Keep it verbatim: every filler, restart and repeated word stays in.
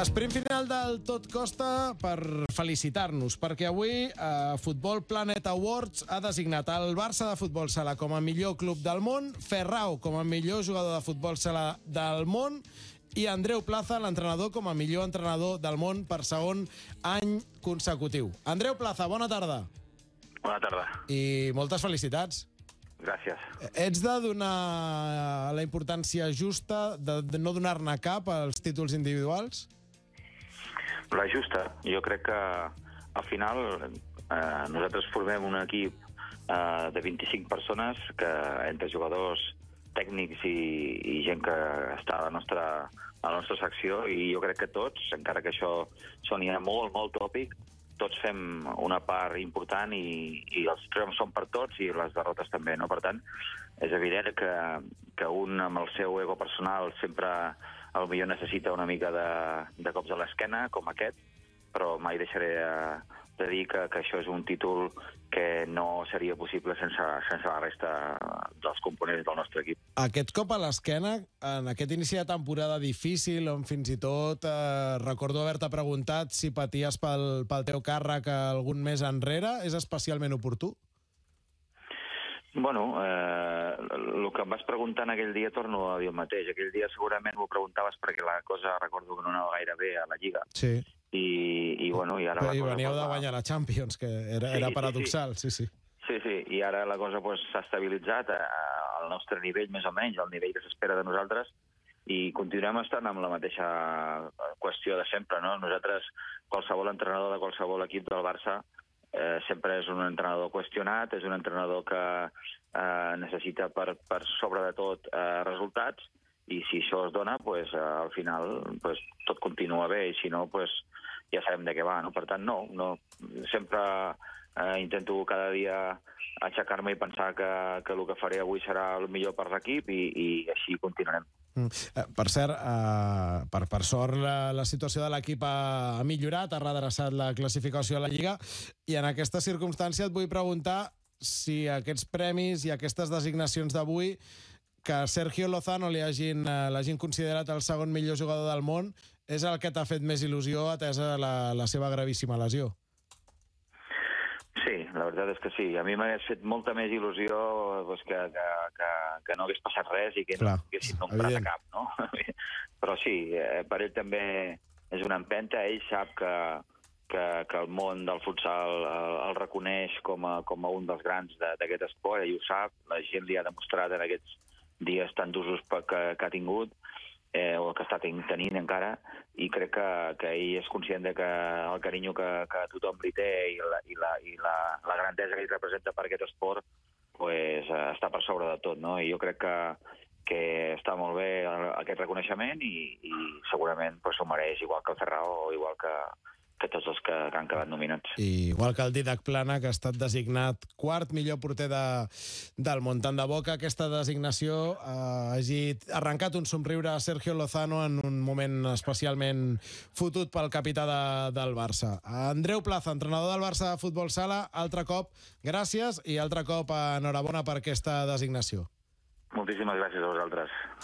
Sprint final del Tot Costa per felicitar-nos, perquè avui eh, Futbol Planet Awards ha designat el Barça de Futbol Sala com a millor club del món, Ferrao com a millor jugador de futbol sala del món i Andreu Plaza, l'entrenador, com a millor entrenador del món per segon any consecutiu. Andreu Plaza, bona tarda. Bona tarda. I moltes felicitats. Gràcies. Ets de donar la importància justa, de, de no donar-ne cap als títols individuals? La justa. Jo crec que al final eh, nosaltres formem un equip eh, de vint-i-cinc persones, que entre jugadors, tècnics i, i gent que està a la nostra, a la nostra secció, i jo crec que tots, encara que això sonia molt, molt tòpic, tots fem una part important i, i els triomfs són per tots i les derrotes també, no? Per tant, és evident que, que un amb el seu ego personal sempre potser necessita una mica de, de cops a l'esquena, com aquest, però mai deixaré de, de dir que, que això és un títol que no seria possible sense, sense la resta dels components del nostre equip. Aquest cop a l'esquena, en aquest inici de temporada difícil, on fins i tot eh, recordo haver-te preguntat si paties pel, pel teu càrrec algun mes enrere, és especialment oportú? Bueno, eh, el que em vas preguntar en aquell dia torno a dir el mateix. Aquell dia segurament m'ho preguntaves perquè la cosa recordo que no anava gaire bé a la Lliga. Sí. I, i bueno, i ara... I veníeu de guanyar la Champions, que era, sí, era paradoxal, sí, sí. Sí, sí, i ara la cosa pues, s'ha estabilitzat a, a, al nostre nivell, més o menys, al nivell que s'espera de nosaltres, i continuem estant amb la mateixa qüestió de sempre, no? Nosaltres, qualsevol entrenador de qualsevol equip del Barça, eh, sempre és un entrenador qüestionat, és un entrenador que eh, necessita per, per sobre de tot eh, resultats, i si això es dona, pues, eh, al final pues, tot continua bé, i si no, pues, ja sabem de què va, no? Per tant, no, no sempre eh, intento cada dia aixecar-me i pensar que, que el que faré avui serà el millor per l'equip i, i així continuarem. Mm. Eh, per cert, eh, per, per sort la, la situació de l'equip ha, ha millorat, ha redreçat la classificació a la Lliga, i en aquesta circumstància et vull preguntar si aquests premis i aquestes designacions d'avui, que Sergio Lozano li hagin, eh, l'hagin considerat el segon millor jugador del món, és el que t'ha fet més il·lusió atesa la, la seva gravíssima lesió? Sí, la veritat és que sí. A mi m'hagués fet molta més il·lusió pues, que, que, que, que no hagués passat res i que Clar, no haguessin nombrat a cap, no? Però sí, eh, per ell també és una empenta. Ell sap que, que, que el món del futsal el, el reconeix com a, com a un dels grans d'aquest esport. Ell ho sap, la gent li ha demostrat en aquests dies tan d'usos que, que ha tingut, eh, o que està tenint encara, i crec que, que ell és conscient de que el carinyo que, que tothom li té i, la, i, la, i la, la grandesa que ell representa per aquest esport pues, està per sobre de tot, no? I jo crec que, que està molt bé aquest reconeixement i, i segurament pues, s'ho mereix, igual que el Ferrao o igual que, que tots els que, que han quedat nominats. I igual que el Didac Plana, que ha estat designat quart millor porter de, del món. Tant de bo que aquesta designació eh, hagi arrencat un somriure a Sergio Lozano en un moment especialment fotut pel capità de, del Barça. Andreu Plaza, entrenador del Barça de Futbol Sala, altre cop gràcies i altre cop enhorabona per aquesta designació. Moltíssimes gràcies a vosaltres.